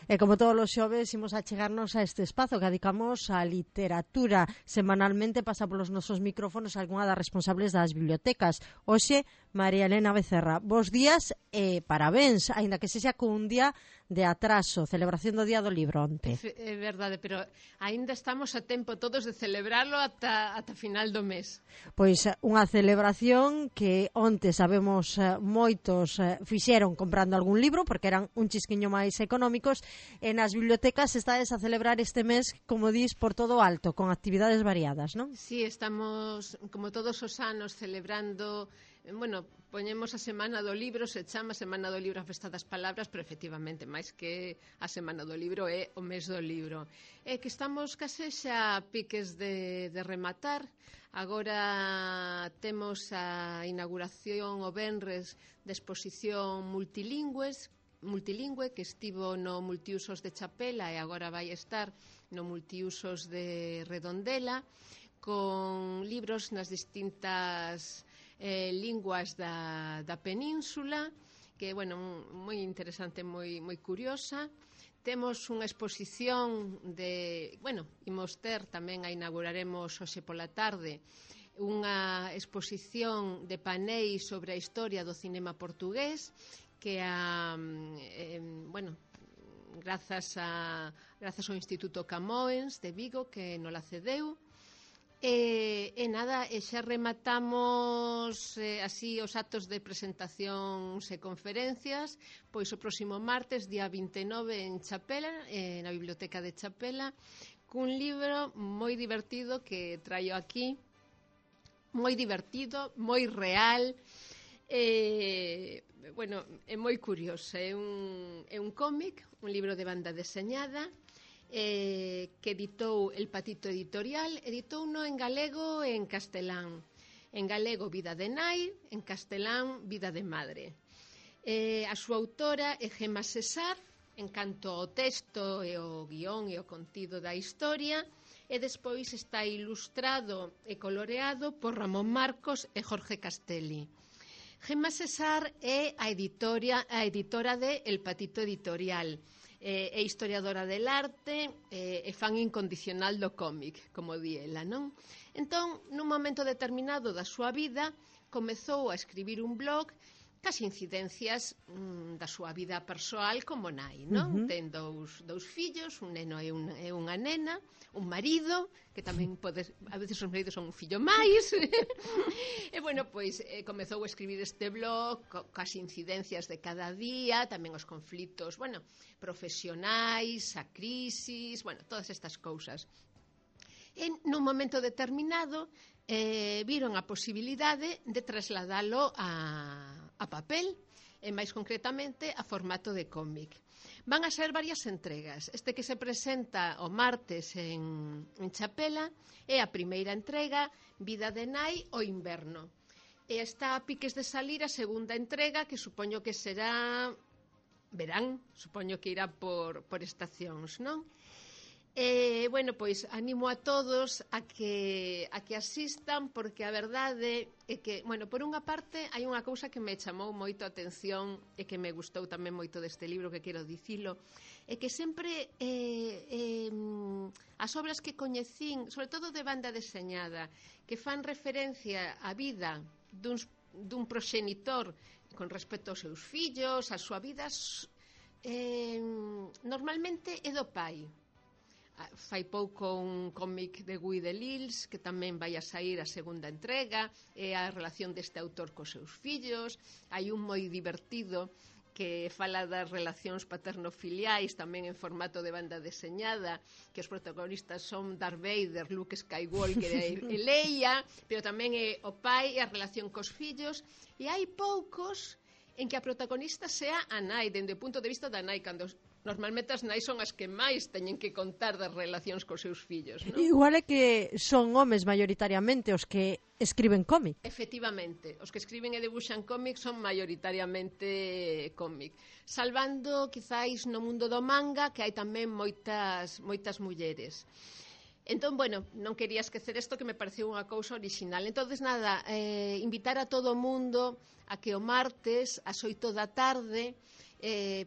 E como todos os xoves, imos a chegarnos a este espazo que dedicamos á literatura. Semanalmente pasa polos nosos micrófonos algunha das responsables das bibliotecas. Hoxe, María Elena Becerra. Bos días e parabéns, aínda que sexa cun día de atraso, celebración do Día do Libro onte. É verdade, pero aínda estamos a tempo todos de celebrarlo ata final do mes. Pois unha celebración que onte sabemos moitos fixeron comprando algún libro porque eran un chisquiño máis económicos e nas bibliotecas estades a celebrar este mes, como dis, por todo alto, con actividades variadas, non? Sí, estamos, como todos os anos, celebrando, poñemos a Semana do Libro, se chama Semana do Libro a Festa das Palabras, pero efectivamente, máis que a Semana do Libro é o mes do libro. É que estamos case xa a piques de rematar. Agora temos a inauguración o venres de exposición multilingüe que estivo no Multiusos de Chapela e agora vai estar no Multiusos de Redondela, con libros nas distintas linguas da península, que, moi interesante, moi curiosa. Temos unha exposición imos ter tamén, a inauguraremos hoxe pola tarde, unha exposición de paneis sobre a historia do cinema portugués, que grazas ao Instituto Camões de Vigo, que nos la cedeu. E xa rematamos así os actos de presentacións e conferencias, pois o próximo martes, día 29, en Chapela, na Biblioteca de Chapela, cun libro moi divertido que traio aquí, moi divertido, moi real, é moi curioso. É un cómic, un libro de banda deseñada, que editou El Patito Editorial, editouno en galego e en castelán. En galego, Vida de Nai, en castelán, Vida de Madre. A súa autora é Gemma Cesar, en canto ao texto e o guión e o contido da historia, e despois está ilustrado e coloreado por Ramón Marcos e Jorge Castelli. Gemma Cesar é a editora de El Patito Editorial, é historiadora del arte e fan incondicional do cómic, como di ela, non? Entón, nun momento determinado da súa vida, comezou a escribir un blog cas incidencias da súa vida persoal como nai, non? Ten dous fillos, un neno e unha nena, un marido, que tamén a veces os maridos son un fillo máis. E, comezou a escribir este blog cas incidencias de cada día, tamén os conflitos, profesionais, a crisis, todas estas cousas. E nun momento determinado viron a posibilidade de trasladalo a papel, e máis concretamente a formato de cómic. Van a ser varias entregas. Este que se presenta o martes en Chapela é a primeira entrega, Vida de Nai o inverno. E está a piques de salir a segunda entrega, que supoño que será verán, supoño que irá por estacións, non? Animo a todos a que asistan, porque a verdade é que, por unha parte, hai unha cousa que me chamou moito a atención e que me gustou tamén moito deste libro, que quero dicilo, é que sempre as obras que coñecín, sobre todo de banda deseñada, que fan referencia á vida dun proxenitor con respecto aos seus fillos, a súa vida, normalmente é do pai. Fai pouco un cómic de Guy Delisle, que tamén vai a sair a segunda entrega, é a relación deste autor cos seus fillos. Hai un moi divertido que fala das relacións paterno-filiais, tamén en formato de banda deseñada, que os protagonistas son Darth Vader, Luke Skywalker e Leia, pero tamén é o pai e a relación cos fillos. E hai poucos en que a protagonista sea a nai, dende o punto de vista da nai, cando normalmente as nais son as que máis teñen que contar das relacións cos seus fillos, non? Igual é que son homes maioritariamente os que escriben cómic. Efectivamente, os que escriben e debuxan cómic son maioritariamente cómic, salvando quizáis no mundo do manga, que hai tamén moitas mulleres. Entón, non quería esquecer isto, que me pareceu unha cousa orixinal. Entonces, invitar a todo o mundo a que o martes, ás 8 da tarde,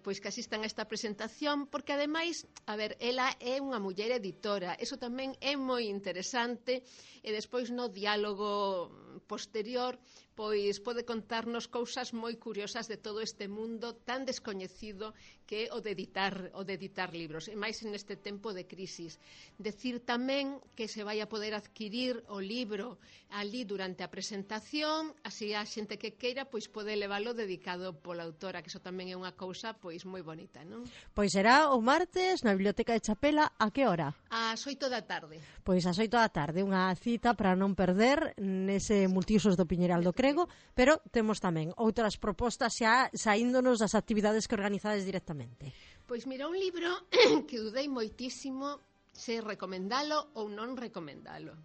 pois que asistan a esta presentación, porque ademais, a ver, ela é unha muller editora, eso tamén é moi interesante, e despois no diálogo posterior pois pode contarnos cousas moi curiosas de todo este mundo tan descoñecido que é o de editar libros, e máis neste tempo de crisis. Decir tamén que se vai a poder adquirir o libro ali durante a presentación, así a xente que queira pois pode leválo dedicado pola autora, que iso tamén é unha cousa pois moi bonita, non? Pois será o martes na Biblioteca de Chapela, a que hora? Ás 8 da tarde. Pois ás 8 da tarde, unha cita para non perder nese multiusos do Piñeral do Crego, pero temos tamén outras propostas xa saíndonos das actividades que organizades directamente. Pois mira, un libro que dudei moitísimo se recomendalo ou non recomendalo.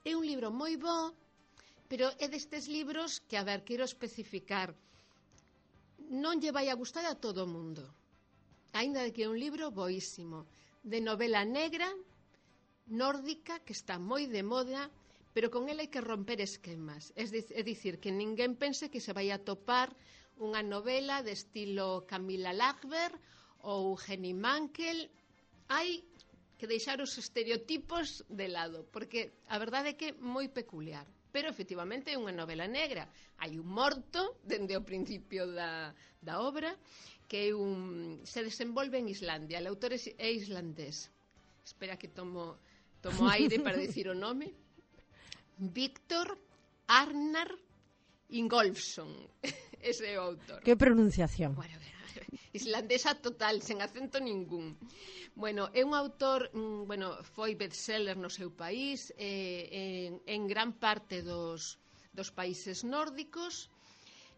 É un libro moi bo, pero é destes libros que, a ver, quero especificar, non lle vai a gustar a todo o mundo, aínda que é un libro boísimo, de novela negra, nórdica, que está moi de moda, pero con ela hai que romper esquemas. É dicir, que ninguén pense que se vai a topar unha novela de estilo Camilla Lagerberg ou Henning Mankell. Hai que deixar os estereotipos de lado, porque a verdade é que é moi peculiar. Pero, efectivamente, é unha novela negra. Hai un morto, dende o principio da obra, que se desenvolve en Islandia. O autor é islandés. Espera que tomo aire para dicir o nome. Víctor Arnar Ingolfsson. Ese é o autor. Que pronunciación. Bueno, islandesa total, sen acento ningún. Bueno, é un autor, foi bestseller no seu país, en gran parte dos países nórdicos,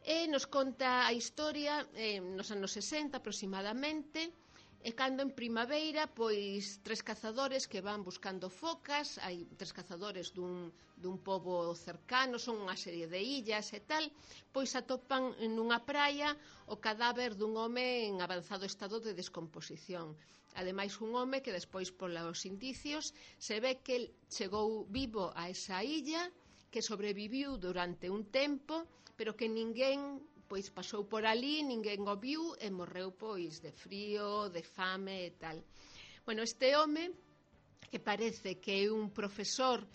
e nos conta a historia nos anos 60 aproximadamente, e cando en primavera, pois tres cazadores que van buscando focas, hai tres cazadores dun pobo cercano, son unha serie de illas e tal, pois atopan nunha praia o cadáver dun home en avanzado estado de descomposición. Ademais, un home que despois, polos indicios, se ve que chegou vivo a esa illa, que sobreviviu durante un tempo, pero que ninguén pois pasou por ali, ninguén o viu e morreu pois de frío, de fame e tal. Bueno, este home, que parece que é un profesor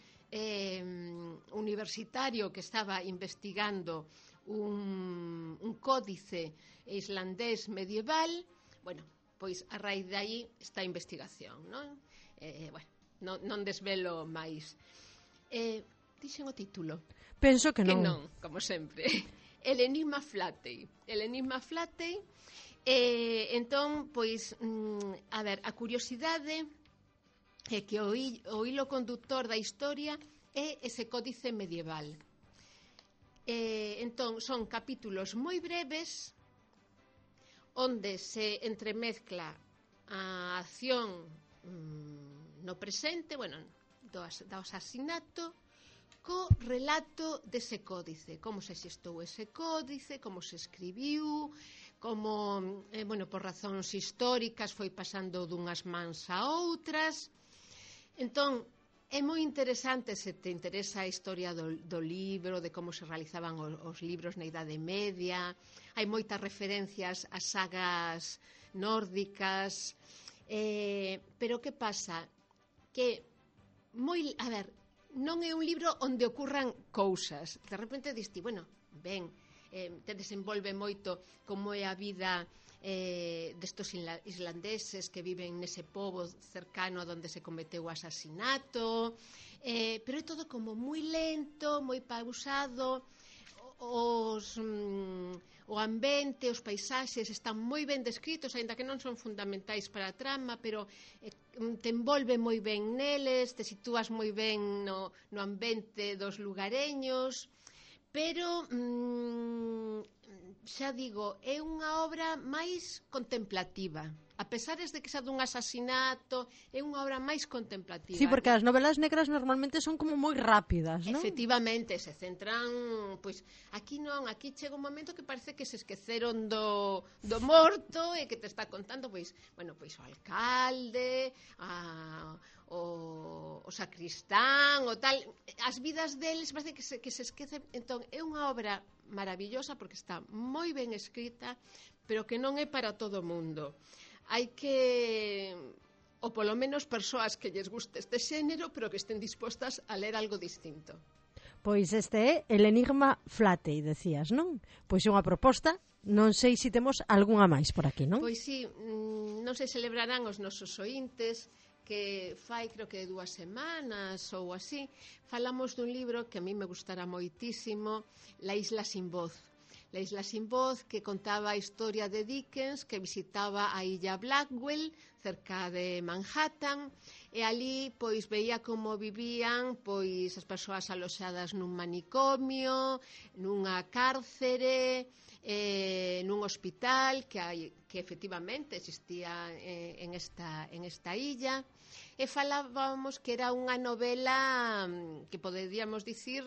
universitario que estaba investigando un códice islandés medieval, bueno, pois a raíz de aí esta investigación, non? Non desvelo máis. Dixen o título? Penso que non. Que non, como sempre. El enigma Flatey. Entón, pois, a ver, a curiosidade é que o hilo conductor da historia é ese códice medieval. Entón, son capítulos moi breves onde se entremezcla a acción no presente, do asasinato, co relato dese códice, como se xestou ese códice, como se escribiu, como, por razóns históricas foi pasando dunhas mans a outras. Entón, é moi interesante se te interesa a historia do libro, de como se realizaban os libros na Idade Media. Hai moitas referencias a sagas nórdicas, pero que pasa? Que non é un libro onde ocurran cousas. De repente diste, te desenvolve moito como é a vida destos islandeses que viven nese pobo cercano a donde se cometeu o asasinato, pero é todo como moi lento, moi pausado. O ambiente, os paisaxes están moi ben descritos, aínda que non son fundamentais para a trama, pero te envolve moi ben neles, te sitúas moi ben no ambiente dos lugareños, pero xa digo, é unha obra máis contemplativa. A pesar de que xa dun asasinato, é unha obra máis contemplativa. Sí, porque as novelas negras normalmente son como moi rápidas, non? Efectivamente, se centran, pois, aquí non, aquí chega un momento que parece que se esqueceron do morto e que te está contando, pois, o alcalde, o sacristán, o tal, as vidas deles parece que se esquecen. Entón, é unha obra maravillosa porque está moi ben escrita, pero que non é para todo o mundo. Hai que, ou polo menos persoas que lles guste este xénero, pero que estén dispostas a ler algo distinto. Pois este é El Enigma Flatey, decías, non? Pois é unha proposta, non sei se temos algunha máis por aquí, non? Pois sí, non se celebrarán os nosos oíntes, que fai creo que 2 semanas ou así, falamos dun libro que a mí me gustará moitísimo, La isla sin voz. La isla sin voz, que contaba a historia de Dickens, que visitaba a illa Blackwell, cerca de Manhattan, e ali pois veía como vivían pois as persoas aloxadas nun manicomio, nunha cárcere, nun hospital que efectivamente existía en esta illa, e falábamos que era unha novela que poderíamos dicir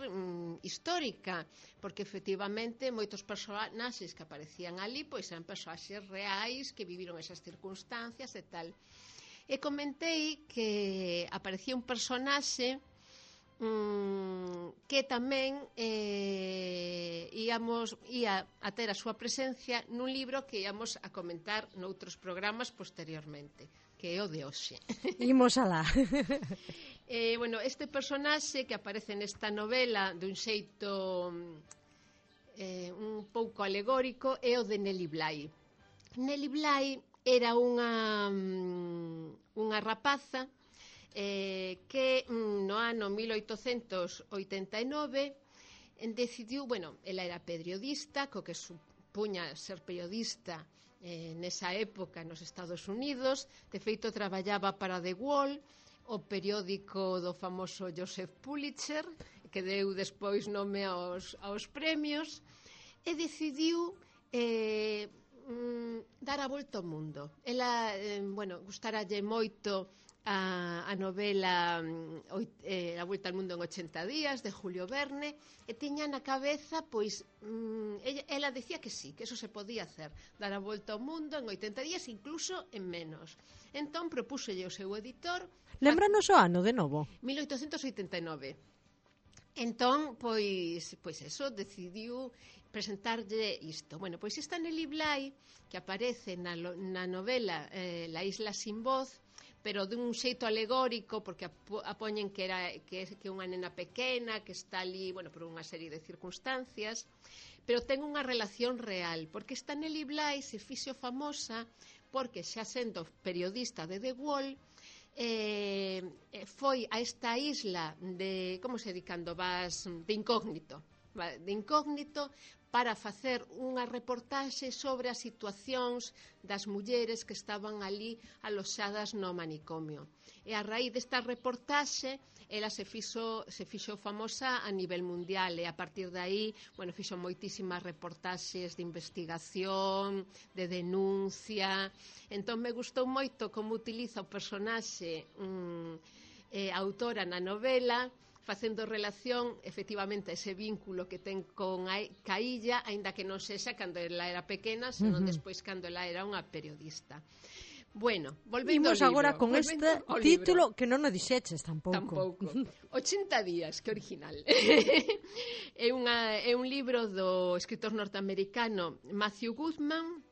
histórica, porque efectivamente moitos personaxes que aparecían ali pois eran personaxes reais que viviron esas circunstancias e tal. E comentei que aparecía un personaxe que tamén ia a ter a súa presencia nun libro que íamos a comentar noutros programas posteriormente, que é o de hoxe. Imos alá. Bueno, este personaxe que aparece nesta novela dun xeito un pouco alegórico é o de Nellie Bly. Nellie Bly era unha rapaza que no ano 1889 decidiu, ela era periodista, co que supuña ser periodista nesa época nos Estados Unidos. De feito, traballaba para The Wall, o periódico do famoso Joseph Pulitzer, que deu despois nome aos premios, e decidiu dar a volta ao mundo. Ela, gustaralle moito a novela A volta ao mundo en 80 días, de Julio Verne, e tiña na cabeza, pois, ela decía que sí, que eso se podía hacer, dar a volta ao mundo en 80 días, incluso en menos. Entón, propúxelle o seu editor... Lembranos o ano, de novo? 1889. Entón, pois eso, decidiu presentarlle isto. Bueno, pois esta Nellie Bly, que aparece na novela La isla sin voz, pero dun xeito alegórico, porque apoñen que é unha nena pequena, que está ali, por unha serie de circunstancias, pero ten unha relación real, porque esta Nellie Bly se fixo famosa porque, xa sendo periodista de The Wall, foi a esta isla de, como se di cando vas, de incógnito, para facer unha reportaxe sobre as situacións das mulleres que estaban ali aloxadas no manicomio. E a raíz desta reportaxe, ela se fixo famosa a nivel mundial, e a partir de aí, fixo moitísimas reportaxes de investigación, de denuncia. Entón me gustou moito como utiliza o personaxe a autora na novela, facendo relación, efectivamente, a ese vínculo que ten ca illa, aínda que non sexa cando ela era pequena, senón despois cando ela era unha periodista. Bueno, volvendo ao libro. Imos agora con este título que non o dixeches tampouco. 80 días, que original. É un libro do escritor norteamericano Matthew Goodman.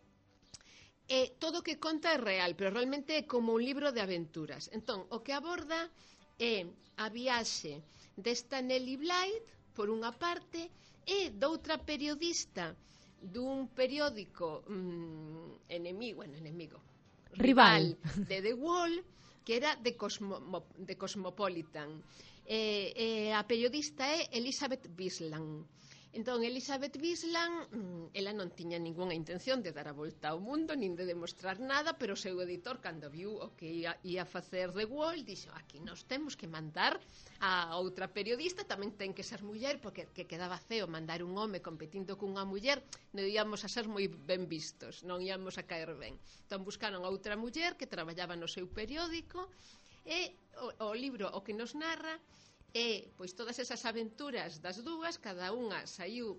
Todo o que conta é real, pero realmente é como un libro de aventuras. Entón, o que aborda é a viaxe desta Nellie Bly, por unha parte, e doutra periodista dun periódico rival de The Wall, que era de Cosmopolitan. A periodista é Elizabeth Bisland. Entón, Elizabeth Bisland, ela non tiña ningunha intención de dar a volta ao mundo, nin de demostrar nada, pero o seu editor, cando viu o que ia facer The Wall, dixo, aquí nos temos que mandar a outra periodista, tamén ten que ser muller, porque que quedaba feo mandar un home competindo cunha muller, non íamos a ser moi ben vistos, non íamos a caer ben. Entón, buscaron a outra muller que traballaba no seu periódico, e o libro o que nos narra pois todas esas aventuras das dúas, cada unha saiu,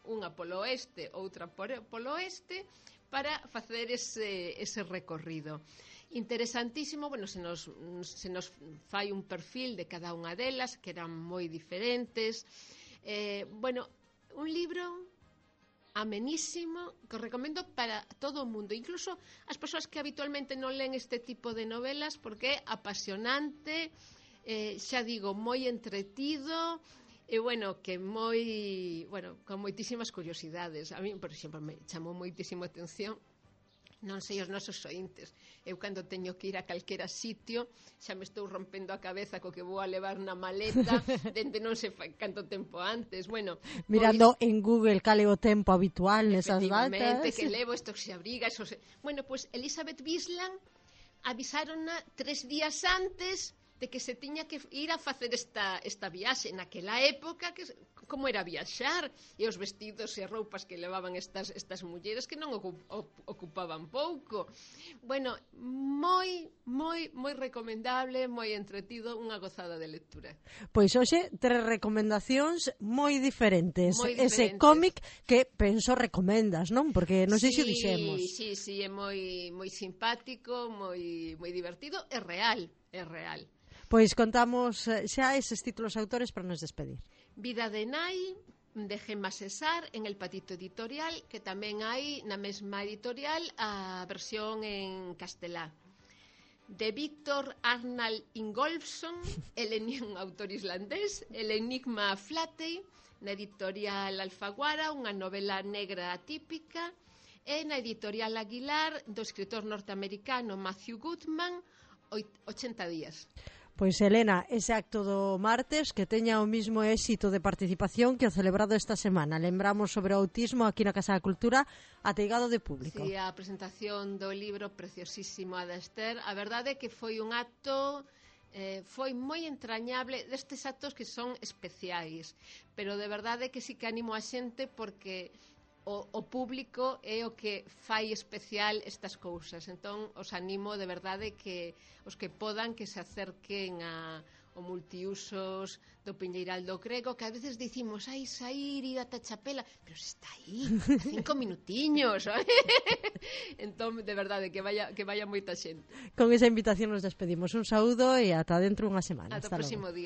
unha polo oeste, outra polo oeste, para facer ese recorrido. Interesantísimo, se nos fai un perfil de cada unha delas, que eran moi diferentes. Un libro amenísimo, que os recomendo para todo o mundo, incluso as persoas que habitualmente non len este tipo de novelas, porque é apasionante, xa digo, moi entretido, e bueno, que con moitísimas curiosidades. A mí, por exemplo, me chamou moitísimo a atención, non sei os nosos ointes, eu cando teño que ir a calquera sitio xa me estou rompendo a cabeza co que vou a levar na maleta dende non sei canto tempo antes. Bueno, mirando en Google cal é o tempo habitual nesas datas, que levo estos se abrigas, bueno, pues Elizabeth Bisland avisárona 3 días antes de que se tiña que ir a facer esta viaxe naquela época, que como era viaxar, e os vestidos e roupas que levaban estas mulleres que non ocupaban pouco. Bueno, moi recomendable, moi entretido, unha gozada de lectura. Pois hoxe 3 recomendacións moi diferentes. Ese cómic que penso recomendas, non? Porque non sei se o dixemos. Sí, é moi simpático, moi divertido, é real. Pois contamos xa eses títulos autores para nos despedir. Vida de Nai, de Gemma Cesar, en El Patito Editorial, que tamén hai na mesma editorial a versión en castelá. De Víctor Arnald Ingolfsson, un autor islandés, El Enigma Flatey, na editorial Alfaguara, unha novela negra atípica, e na editorial Aguilar, do escritor norteamericano Matthew Goodman, 80 días. Pois, Elena, ese acto do martes que teña o mismo éxito de participación que o celebrado esta semana. Lembramos sobre o autismo aquí na Casa da Cultura, ateigado de público. Sí, a presentación do libro preciosísimo a da Esther. A verdade é que foi un acto foi moi entrañable, destes actos que son especiais, pero de verdade que sí que animo a xente porque o público é o que fai especial estas cousas. Entón, os animo de verdade que os que podan que se acerquen ao multiusos do Piñeiral do Crego, que a veces dicimos, sair, ir ata Chapela, pero se está aí, 5 minutiños. Entón, de verdade, que vaya moita xente. Con esa invitación nos despedimos. Un saúdo e ata dentro unha semana. Ata o próximo día.